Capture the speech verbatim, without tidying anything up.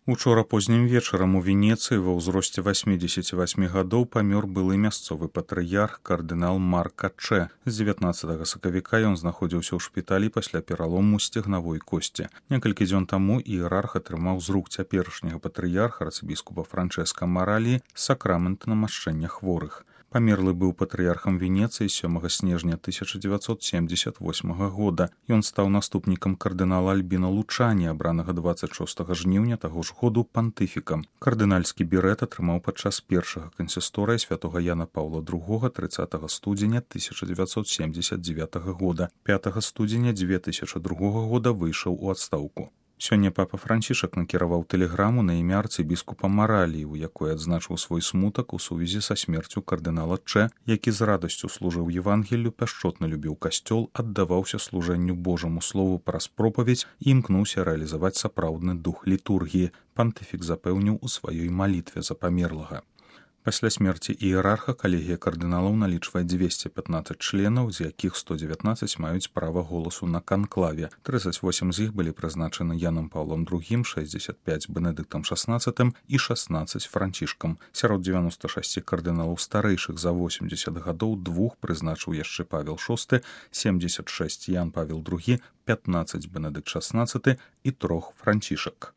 Учора познім вечарам у Венецыі ва ўзросце васьмідзесяці васьмі гадоў памёр былы мясцовы патрыярх кардынал Марка Чэ. З дзевятнаццатага сакавіка ён знаходзіўся ў шпіталі пасля пералому сцегнавой косці. Некалькі дзён таму іерарх атрымаў з рук цяперашняга патрыярха арцыбіскупа Франчэска Мараліі сакрамент намашчэння хворых. Памерлы быў патрыярхам Венецыі сёмага снежня тысяча дзевяцьсот семдзесят восьмага года. Ён стаў наступнікам кардынала Альбіна Лучані, абранага дваццаць шостага жніўня таго ж году пантыфікам. Кардынальскі берэт атрымаў падчас першага кансісторыя святога Яна Паўла другога трыццатага студзеня тысяча дзевяцьсот семдзесят дзевятага года. пятага студзеня дзве тысячы другога года выйшаў у адстаўку. Сёння папа Францішак накіраваў тэлеграму на імя арцыбіскупа Мараліі, у якой адзначыў свой смутак у сувязі са смерцю кардынала Чэ, які з радасцю служыў Евангеллю, пяшчотна любіў касцёл, аддаваўся служэнню Божаму слову праз пропаведзь і імкнуўся рэалізаваць сапраўдны дух літургіі. Пантыфік запэўніў у сваёй малітве за памерлага. Пасля смерці іерарха калегія кардыналаў налічвае дзвесце пятнаццаць членаў, з якіх сто дзевятнаццаць маюць права голасу на канклаве. трыццаць восем з іх былі прызначаны Янам Паўлам другім, шэсцьдзесят пяць Бенедыктам шаснаццатым і шаснаццаць Францішкам. Сярод дзевяноста шасці кардыналаў старэйшых за восемдзесят гадоў двух прызначыў яшчэ Павел шосты, семдзесят шэсць Ян Павел другі, пятнаццаць Бенедыкт шаснаццаты і трох Францішак.